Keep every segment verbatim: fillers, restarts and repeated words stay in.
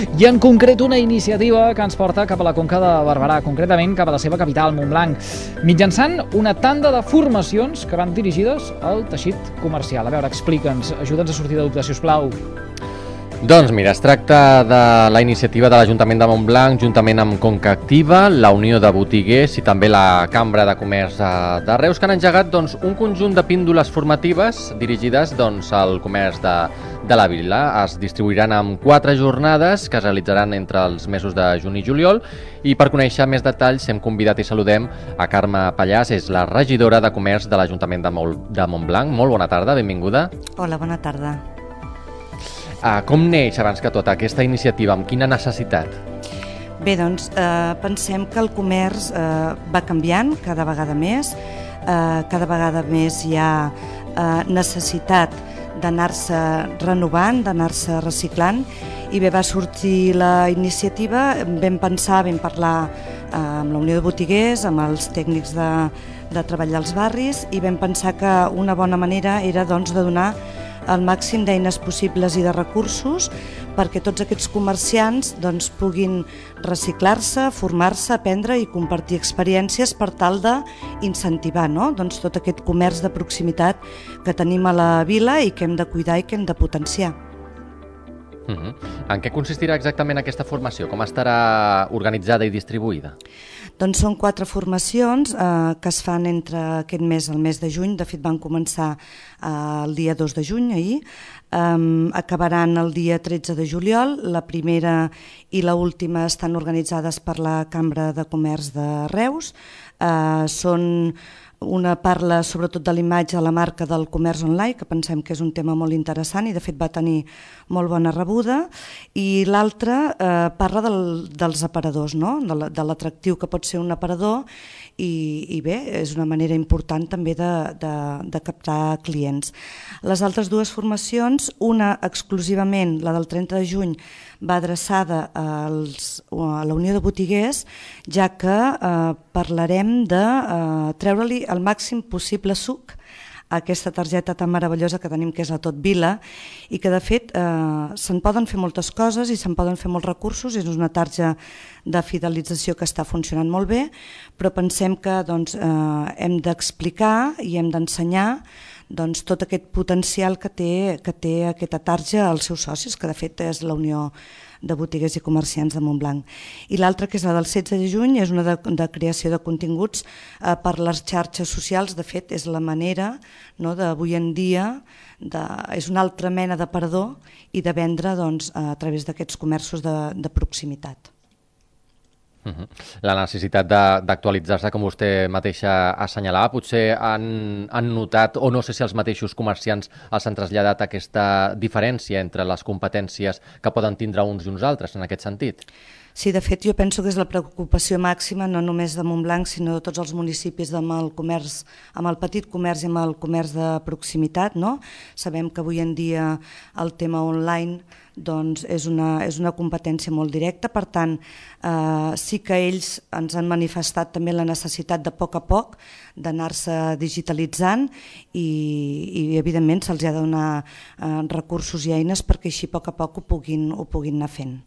I en concret una iniciativa que ens porta cap a la Conca de Barberà, concretament cap a la seva capital, Montblanc, mitjançant una tanda de formacions que van dirigides al teixit comercial. A veure, explica'ns, ajuda'ns a sortir de dubtes, sisplau. Doncs mira, es tracta de la iniciativa de l'Ajuntament de Montblanc, juntament amb Conca Activa, la Unió de Botiguers i també la Cambra de Comerç de Reus, que han engegat doncs, un conjunt de píndoles formatives dirigides doncs, al comerç de, de la vila. Es distribuiran en quatre jornades que es realitzaran entre els mesos de juny i juliol, i per conèixer més detalls hem convidat i saludem a Carme Pallàs, és la regidora de Comerç de l'Ajuntament de, Mol, de Montblanc. Molt bona tarda, benvinguda. Hola, bona tarda. Uh, com neix, abans que tot, aquesta iniciativa? Amb quina necessitat? Bé, doncs, eh, pensem que el comerç eh, va canviant cada vegada més, eh, cada vegada més hi ha eh, necessitat d'anar-se renovant, d'anar-se reciclant, i bé, va sortir la iniciativa, vam pensar, vam parlar eh, amb la Unió de Botiguers, amb els tècnics de, de treballar als barris, i vam pensar que una bona manera era doncs, de donar el màxim d'eines possibles i de recursos perquè tots aquests comerciants doncs, puguin reciclar-se, formar-se, aprendre i compartir experiències per tal d'incentivar no? doncs, tot aquest comerç de proximitat que tenim a la vila i que hem de cuidar i que hem de potenciar. Uh-huh. En què consistirà exactament aquesta formació? Com estarà organitzada i distribuïda? Doncs són quatre formacions eh, que es fan entre aquest mes, el mes de juny. De fet van començar eh, el dia dos de juny, ahir, eh, acabaran el dia tretze de juliol. La primera i l'última estan organitzades per la Cambra de Comerç de Reus. Eh, són Una parla sobretot de l'imatge a la marca del comerç online, que pensem que és un tema molt interessant i de fet va tenir molt bona rebuda, i l'altra eh, parla del, dels aparadors, no? de l'atractiu que pot ser un aparador, i, i bé, és una manera important també de, de, de captar clients. Les altres dues formacions, una exclusivament, la del trenta de juny, va adreçada als, a la Unió de Botiguers, ja que eh, parlarem de eh, treure-li el màxim possible suc a aquesta targeta tan meravellosa que tenim, que és la Tot Vila, i que de fet eh, se'n poden fer moltes coses i se'n poden fer molts recursos. És una targeta de fidelització que està funcionant molt bé, però pensem que doncs, eh, hem d'explicar i hem d'ensenyar doncs, tot aquest potencial que té, que té aquesta tarja als seus socis, que de fet és la Unió de Botiguers i Comerciants de Montblanc. I l'altra, que és la del setze de juny, és una de, de creació de continguts eh, per les xarxes socials. De fet, és la manera no, d'avui en dia, de, és una altra mena d'aparador i de vendre doncs, a través d'aquests comerços de, de proximitat. Uh-huh. La necessitat d'actualitzar-se, com vostè mateixa assenyalava, potser han, han notat, o no sé si els mateixos comerciants els han traslladat aquesta diferència entre les competències que poden tindre uns i uns altres en aquest sentit? Sí, de fet, jo penso que és la preocupació màxima no només de Montblanc, sinó de tots els municipis amb el comerç, amb el petit comerç i amb el comerç de proximitat. No? Sabem que avui en dia el tema online doncs, és, una, és una competència molt directa, per tant, eh, sí que ells ens han manifestat també la necessitat de a poc a poc d'anar-se digitalitzant i, i evidentment se'ls ha de donar eh, recursos i eines perquè així a poc a poc ho puguin, ho puguin anar fent.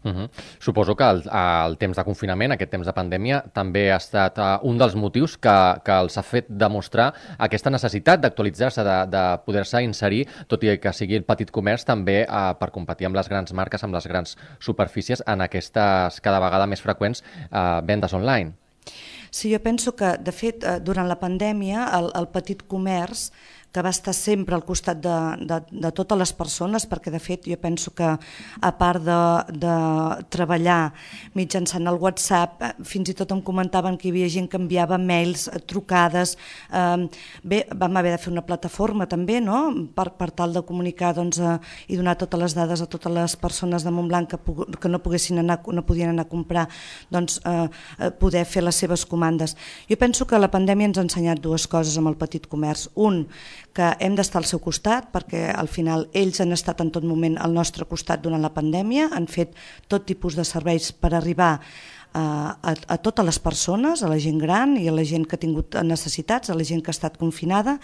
Uh-huh. Suposo que el, el temps de confinament, aquest temps de pandèmia, també ha estat uh, un dels motius que, que els ha fet demostrar aquesta necessitat d'actualitzar-se, de, de poder-se inserir, tot i que sigui el petit comerç, també uh, per competir amb les grans marques, amb les grans superfícies, en aquestes cada vegada més freqüents uh, vendes online. Sí, jo penso que, de fet, durant la pandèmia, el, el petit comerç que va estar sempre al costat de, de, de totes les persones, perquè de fet jo penso que a part de, de treballar mitjançant el WhatsApp, fins i tot em comentaven que hi havia gent que enviava mails, trucades, eh, bé, vam haver de fer una plataforma també, no? per, per tal de comunicar doncs, eh, i donar totes les dades a totes les persones de Montblanc que, que no poguessin anar, no podien anar a comprar, doncs eh, poder fer les seves comandes. Jo penso que la pandèmia ens ha ensenyat dues coses amb el petit comerç. Un, que hem d'estar al seu costat, perquè al final ells han estat en tot moment al nostre costat durant la pandèmia, han fet tot tipus de serveis per arribar a, a, a totes les persones, a la gent gran i a la gent que ha tingut necessitats, a la gent que ha estat confinada.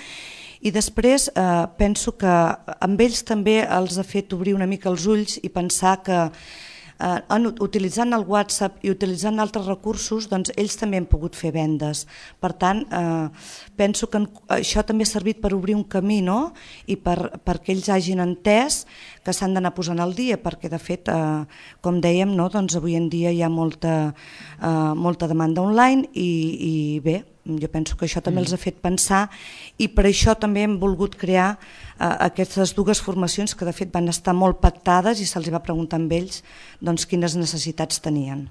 I després eh, penso que amb ells també els ha fet obrir una mica els ulls i pensar que eh, en, utilitzant el WhatsApp i utilitzant altres recursos, doncs ells també han pogut fer vendes. Per tant, eh, penso que en, això també ha servit per obrir un camí, no? I per, perquè ells hagin entès que s'han d'anar posant al dia, perquè de fet, eh, com dèiem, no? Doncs avui en dia hi ha molta, eh, molta demanda online i, i bé, jo penso que això també els ha fet pensar i per això també hem volgut crear uh, aquestes dues formacions que de fet van estar molt pactades i se'ls va preguntar amb ells doncs, quines necessitats tenien.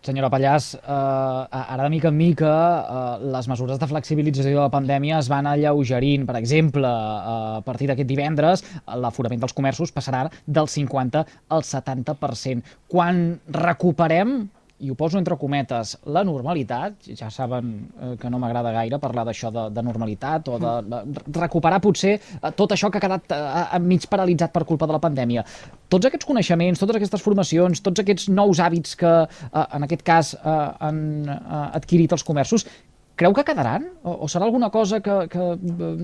Senyora Pallàs, eh, ara de mica en mica eh, les mesures de flexibilització de la pandèmia es van alleugerint. Per exemple, eh, a partir d'aquest divendres, l'aforament dels comerços passarà del cinquanta al setanta per cent. Quan recuperem, i ho poso entre cometes, la normalitat, ja saben eh, que no m'agrada gaire parlar d'això de, de normalitat o de, de recuperar potser eh, tot això que ha quedat eh, mig paralitzat per culpa de la pandèmia. Tots aquests coneixements, totes aquestes formacions, tots aquests nous hàbits que eh, en aquest cas eh, han eh, adquirit els comerços, creu que quedaran? O, o serà alguna cosa que, que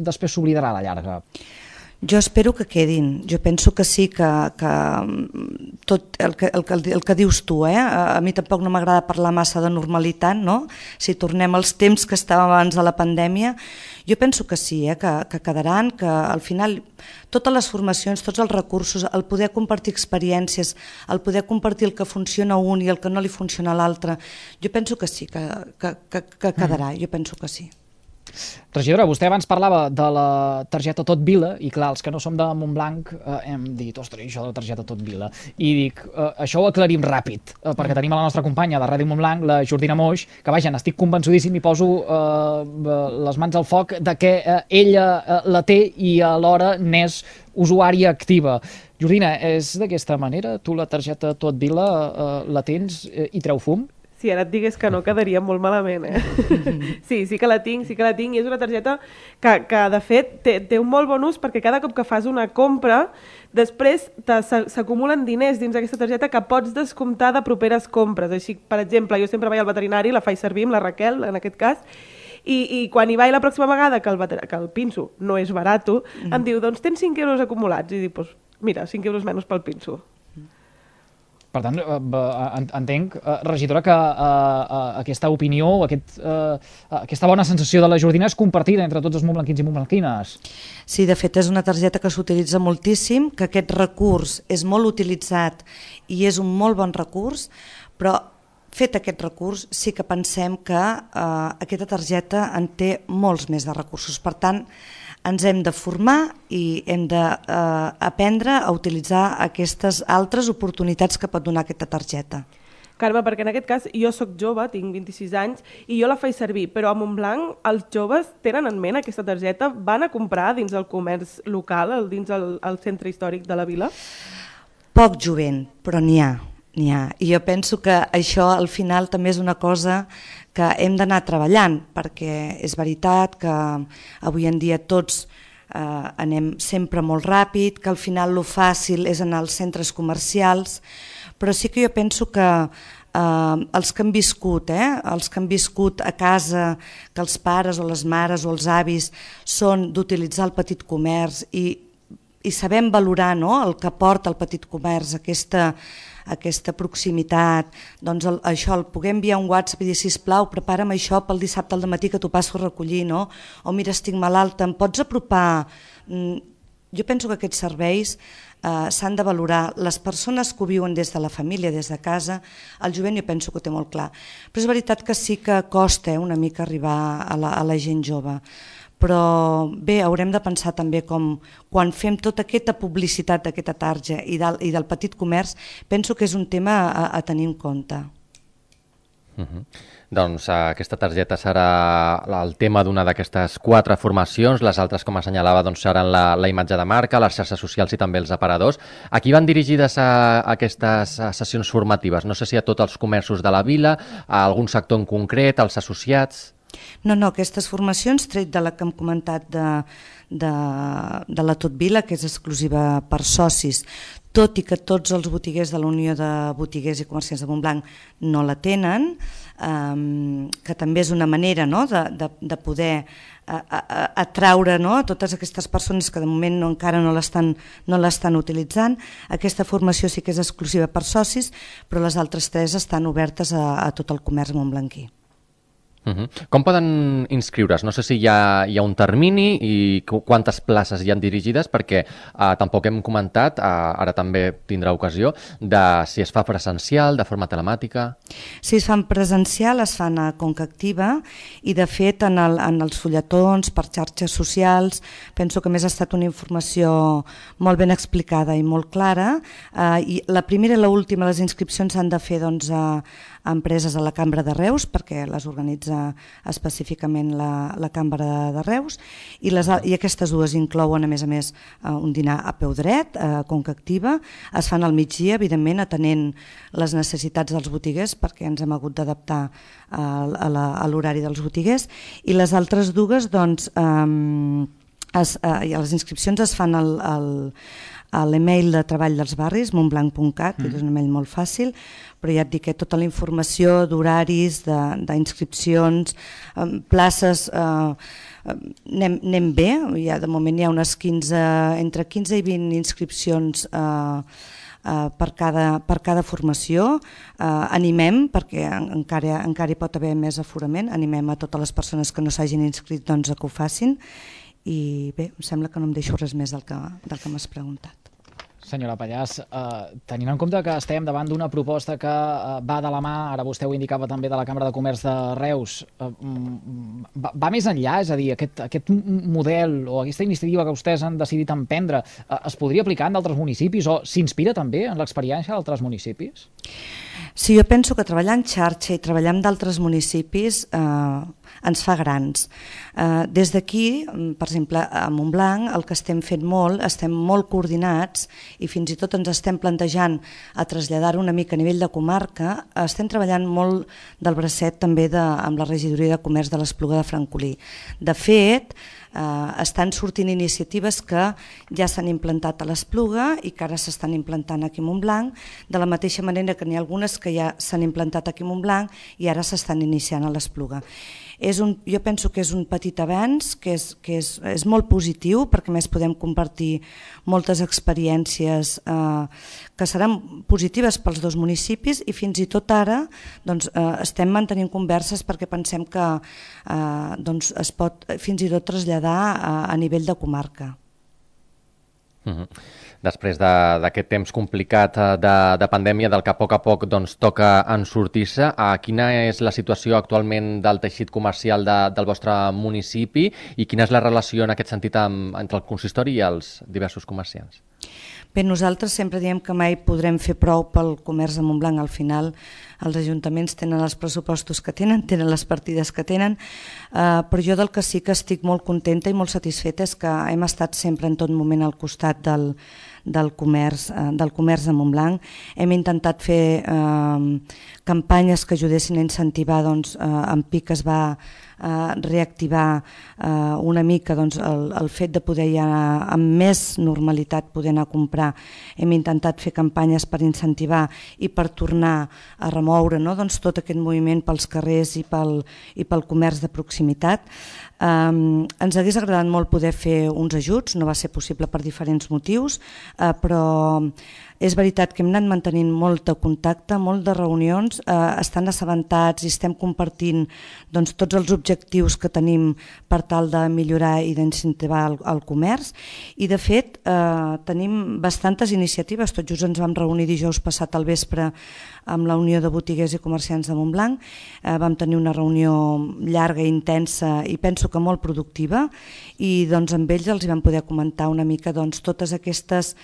després s'oblidarà a la llarga? Jo espero que quedin, jo penso que sí, que, que tot el que, el, que, el que dius tu, eh? A mi tampoc no m'agrada parlar massa de normalitat, no? Si tornem als temps que estàvem abans de la pandèmia, jo penso que sí, eh? que, que quedaran, que al final totes les formacions, tots els recursos, el poder compartir experiències, el poder compartir el que funciona a un i el que no li funciona a l'altre, jo penso que sí, que, que, que, que quedarà, jo penso que sí. Regidora, vostè abans parlava de la targeta Tot Vila i clar, els que no som de Montblanc eh, hem dit, ostres, això de la targeta Tot Vila, i dic, eh, això ho aclarim ràpid, eh, perquè tenim a la nostra companya de Ràdio Montblanc, la Jordina Moix, que vaja, n'estic convençudíssim i poso eh, les mans al foc de que eh, ella eh, la té i alhora n'és usuària activa. Jordina, és d'aquesta manera? Tu la targeta Tot Vila eh, la tens eh, i treu fum? Si ara et digués que no, quedaria molt malament, eh? Sí, sí que la tinc, sí que la tinc, i és una targeta que, que de fet, té, té un molt bon ús perquè cada cop que fas una compra, després s'acumulen diners dins d'aquesta targeta que pots descomptar de properes compres. Així, per exemple, jo sempre vaig al veterinari, la faig servir amb la Raquel, en aquest cas, i, i quan hi vaig la pròxima vegada que el, que el pinso no és barato, mm. em diu, doncs tens cinc euros acumulats. I dic, pues, mira, cinc euros menys pel pinso. Per tant, entenc, regidora, que aquesta opinió, aquest, aquesta bona sensació de la Jordina és compartida entre tots els montblanquins i montblanquines. Sí, de fet és una targeta que s'utilitza moltíssim, que aquest recurs és molt utilitzat i és un molt bon recurs, però fet aquest recurs sí que pensem que eh, aquesta targeta en té molts més de recursos. Per tant, ens hem de formar i hem d'aprendre eh, a utilitzar aquestes altres oportunitats que pot donar aquesta targeta. Carme, perquè en aquest cas jo sóc jove, tinc vint-i-sis anys, i jo la faig servir, però a Montblanc els joves tenen en ment aquesta targeta? Van a comprar dins el comerç local, dins el, el centre històric de la vila? Poc jovent, però n'hi ha. N'hi ha. I jo penso que això al final també és una cosa que hem d'anar treballant, perquè és veritat que avui en dia tots eh, anem sempre molt ràpid, que al final lo fàcil és anar als centres comercials, però sí que jo penso que eh, els que han viscut, eh, els que han viscut a casa, que els pares o les mares o els avis són d'utilitzar el petit comerç i, i sabem valorar, no?, el que porta el petit comerç, aquesta aquesta proximitat, doncs el, això, el poder enviar un WhatsApp i dir, sisplau, prepara'm això pel dissabte al dematí que t'ho passo a recollir, no? O mira, estic malalta, em pots apropar? Mm, jo penso que aquests serveis eh, s'han de valorar. Les persones que ho viuen des de la família, des de casa, el jovent jo penso que ho té molt clar. Però és veritat que sí que costa eh, una mica arribar a la, a la gent jove. Però bé, haurem de pensar també com quan fem tota aquesta publicitat d'aquesta targeta i del, i del petit comerç, penso que és un tema a, a tenir en compte. Uh-huh. Doncs uh, aquesta targeta serà el tema d'una d'aquestes quatre formacions, les altres, com assenyalava, doncs, seran la, la imatge de marca, les xarxes socials i també els aparadors. A qui van dirigides a, a aquestes a sessions formatives? No sé si a tots els comerços de la vila, a algun sector en concret, als associats... No, no, aquestes formacions, tret de la que hem comentat de, de, de la Tot Vila, que és exclusiva per socis, tot i que tots els botiguers de la Unió de Botiguers i Comerciants de Montblanc no la tenen, eh, que també és una manera, no?, de, de, de poder a, a, atraure, no?, a totes aquestes persones que de moment no, encara no l'estan no l'estan utilitzant. Aquesta formació sí que és exclusiva per socis, però les altres tres estan obertes a, a tot el comerç montblanquí. Uh-huh. Com poden inscriure's? No sé si hi ha, hi ha un termini i quantes places hi han dirigides, perquè uh, tampoc hem comentat, uh, ara també tindrà ocasió, de si es fa presencial, de forma telemàtica. Si es fan presencial, es fan a Conca Activa, i de fet en, el, en els fulletons, per xarxes socials, penso que més ha estat una informació molt ben explicada i molt clara. Uh, i la primera i l'última, les inscripcions s'han de fer doncs, a empreses a la Cambra de Reus, perquè les organitza específicament la, la Cambra de Reus, i, les, i aquestes dues inclouen, a més a més, un dinar a peu dret, a Conca Activa, es fan al migdia, evidentment, atenent les necessitats dels botiguers, perquè ens hem hagut d'adaptar a l'horari dels botiguers, i les altres dues, doncs, eh, es, eh, les inscripcions es fan al, al a l'email de treball dels barris, montblanc punt cat, mm. que és un email molt fàcil, però ja et dic que tota la informació d'horaris, d'inscripcions, eh, places, eh, anem, anem bé, ja de moment hi ha unes quinze, entre quinze i vint inscripcions eh, eh, per, cada, per cada formació. Eh, animem, perquè encara, encara hi pot haver més aforament, animem a totes les persones que no s'hagin inscrit doncs, a que ho facin. I bé, em sembla que no em deixo res més del que, del que m'has preguntat. Senyora Pallàs, eh, tenint en compte que estem davant d'una proposta que eh, va de la mà, ara vostè ho indicava també, de la Cambra de Comerç de Reus, eh, va, va més enllà, és a dir, aquest, aquest model o aquesta iniciativa que vostès han decidit emprendre eh, es podria aplicar en d'altres municipis o s'inspira també en l'experiència d'altres municipis? Sí, jo penso que treballar en xarxa i treballar amb d'altres municipis eh, ens fa grans. Eh, des d'aquí, per exemple, a Montblanc, el que estem fent molt, estem molt coordinats i fins i tot ens estem plantejant a traslladar-ho una mica a nivell de comarca, estem treballant molt del bracet també de, amb la regidoria de comerç de l'Espluga de Francolí. De fet, eh, estan sortint iniciatives que ja s'han implantat a l'Espluga i que ara s'estan implantant aquí a Montblanc, de la mateixa manera que n'hi ha algunes que ja s'han implantat aquí a Montblanc i ara s'estan iniciant a l'Espluga. És un, jo penso que és un petit avenç, que, és, que és, és molt positiu, perquè més podem compartir moltes experiències eh, que seran positives pels dos municipis i fins i tot ara doncs, eh, estem mantenint converses perquè pensem que eh, doncs es pot fins i tot traslladar a, a nivell de comarca. Uh-huh. Després d'aquest temps complicat de, de pandèmia, del que a poc a poc doncs, toca en sortir-se, quina és la situació actualment del teixit comercial de, del vostre municipi i quina és la relació en aquest sentit amb, entre el consistori i els diversos comerciants? Bé, nosaltres sempre diem que mai podrem fer prou pel comerç de Montblanc. Al final els ajuntaments tenen els pressupostos que tenen, tenen les partides que tenen, eh, però jo del que sí que estic molt contenta i molt satisfeta és que hem estat sempre en tot moment al costat del, del, comerç, eh, del comerç de Montblanc. Hem intentat fer eh, campanyes que ajudessin a incentivar, doncs, eh, en Pic es va eh, reactivar eh, una mica doncs, el, el fet de poder ja amb més normalitat poder anar a comprar. Hem intentat fer campanyes per incentivar i per tornar a remoure, no? doncs, tot aquest moviment pels carrers i pel, i pel comerç de proximitat. Um, ens hagués agradat molt poder fer uns ajuts, no va ser possible per diferents motius, uh, però és veritat que hem anat mantenint molt de contacte, molt de reunions, eh, estan assabentats i estem compartint doncs, tots els objectius que tenim per tal de millorar i d'incentivar el, el comerç i de fet eh, tenim bastantes iniciatives. Tot just ens vam reunir dijous passat al vespre amb la Unió de Botiguers i Comerciants de Montblanc, eh, vam tenir una reunió llarga i intensa i penso que molt productiva i doncs, amb ells els hi vam poder comentar una mica doncs, totes aquestes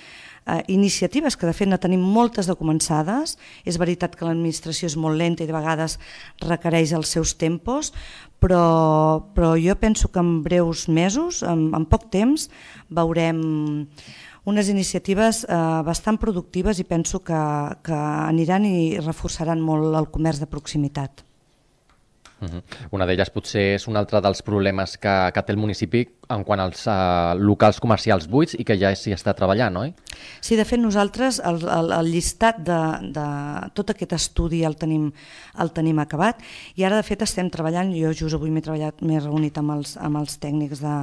Uh, iniciatives que de fet ne tenim moltes de començades. És veritat que l'administració és molt lenta i de vegades requereix els seus tempos, però, però jo penso que en breus mesos, en, en poc temps, veurem unes iniciatives uh, bastant productives i penso que, que aniran i reforçaran molt el comerç de proximitat. Uh-huh. Una d'elles potser és un altre dels problemes que, que té el municipi en quant als uh, locals comercials buits i que ja s'hi està treballant, oi? Sí, de fet nosaltres el, el, el llistat de, de tot aquest estudi el tenim, el tenim acabat i ara de fet estem treballant, jo just avui m'he treballat, m'he reunit amb els, amb els tècnics de,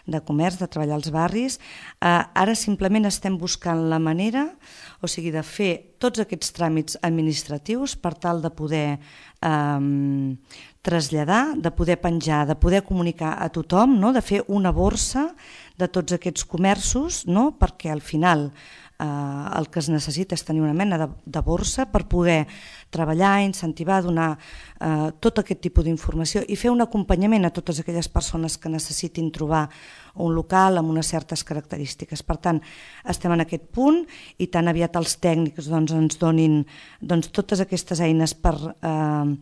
de comerç, de treballar als barris, uh, ara simplement estem buscant la manera, o sigui, de fer tots aquests tràmits administratius per tal de poder eh, traslladar, de poder penjar, de poder comunicar a tothom, no? De fer una borsa de tots aquests comerços, no? Perquè al final eh, el que es necessita és tenir una mena de, de borsa per poder treballar, incentivar, donar eh, tot aquest tipus d'informació i fer un acompanyament a totes aquelles persones que necessitin trobar un local amb unes certes característiques. Per tant, estem en aquest punt i tan aviat els tècnics doncs, ens donin doncs, totes aquestes eines per eh,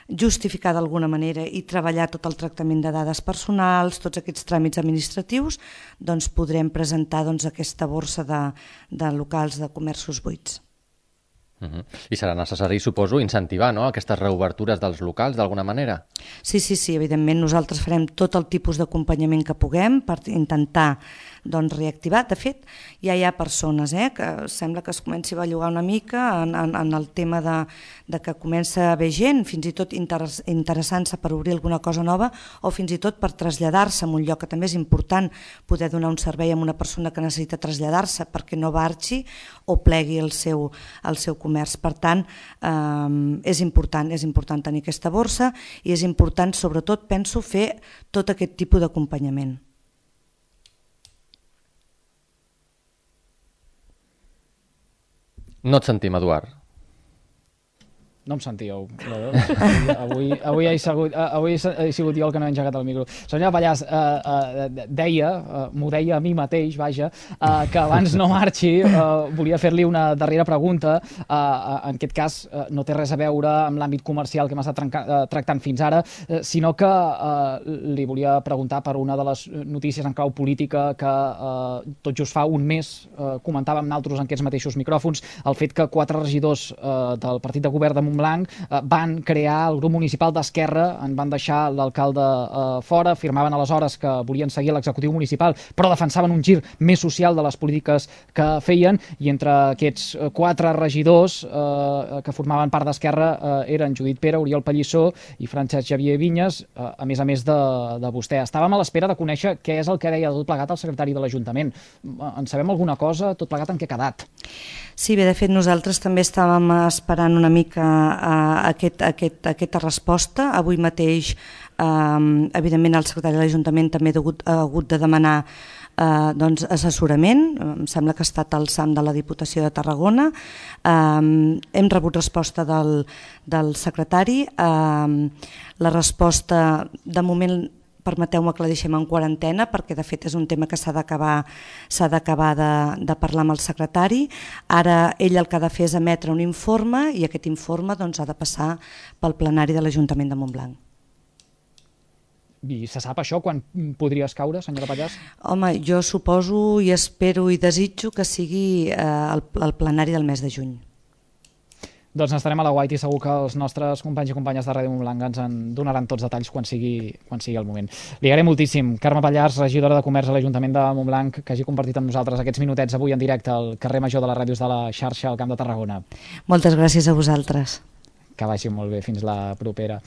justificar d'alguna manera i treballar tot el tractament de dades personals, tots aquests tràmits administratius, doncs podrem presentar doncs, aquesta borsa de, de locals de comerços buits. Uh-huh. I serà necessari, suposo, incentivar, no?, aquestes reobertures dels locals d'alguna manera? Sí, sí, sí, evidentment nosaltres farem tot el tipus d'acompanyament que puguem per intentar doncs, reactivar. De fet, ja hi ha persones eh, que sembla que es comenci a bellugar una mica en, en, en el tema de, de que comença a haver gent, fins i tot interess, interessant-se per obrir alguna cosa nova o fins i tot per traslladar-se a un lloc, que també és important poder donar un servei a una persona que necessita traslladar-se perquè no marxi o plegui el seu, el seu comerç. Per tant, eh, és important, és important tenir aquesta borsa i és important, sobretot, penso, fer tot aquest tipus d'acompanyament. No et sentim, Eduard. No em sentíeu. Avui, avui, he sigut, avui he sigut jo el que no he engegat el micro. Senyora Pallàs, eh, eh, deia, eh, m'ho deia a mi mateix, vaja, eh, que abans no marxi, eh, volia fer-li una darrera pregunta. Eh, en aquest cas, eh, no té res a veure amb l'àmbit comercial que hem estat eh, tractant fins ara, eh, sinó que eh, li volia preguntar per una de les notícies en clau política que eh, tot just fa un mes eh, comentàvem nosaltres en aquests mateixos micròfons, el fet que quatre regidors eh, del partit de govern de Montblanc eh, van crear el grup municipal d'Esquerra, en van deixar l'alcalde eh, fora, afirmaven aleshores que volien seguir l'executiu municipal, però defensaven un gir més social de les polítiques que feien, i entre aquests quatre regidors eh, que formaven part d'Esquerra eh, eren Judit Pera, Oriol Pallissó i Francesc Xavier Vinyes, eh, a més a més de, de vostè. Estàvem a l'espera de conèixer què és el que deia tot plegat el secretari de l'Ajuntament. En sabem alguna cosa? Tot plegat en què ha quedat? Sí, bé, de fet nosaltres també estàvem esperant una mica uh, aquest, aquest, aquesta resposta. Avui mateix, um, evidentment, el secretari de l'Ajuntament també ha hagut, ha hagut de demanar uh, doncs, assessorament. Em sembla que ha estat al SAM de la Diputació de Tarragona. Um, hem rebut resposta del, del secretari. Um, la resposta, de moment, permeteu-me que la deixem en quarantena perquè de fet és un tema que s'ha d'acabar s'ha d'acabar de, de parlar amb el secretari. Ara ell el que ha de fer és emetre un informe i aquest informe doncs, ha de passar pel plenari de l'Ajuntament de Montblanc. I se sap això quan podria escaure, senyora Pallàs? Home, jo suposo i espero i desitjo que sigui eh, el, el plenari del mes de juny. Doncs estarem a la guaita i segur que els nostres companys i companyes de Ràdio Montblanc ens en donaran tots detalls quan sigui, quan sigui el moment. Li agraïm moltíssim. Carme Pallàs, regidora de Comerç a l'Ajuntament de Montblanc, que hagi compartit amb nosaltres aquests minutets avui en directe al carrer Major de les Ràdios de la xarxa al Camp de Tarragona. Moltes gràcies a vosaltres. Que vagi molt bé. Fins la propera.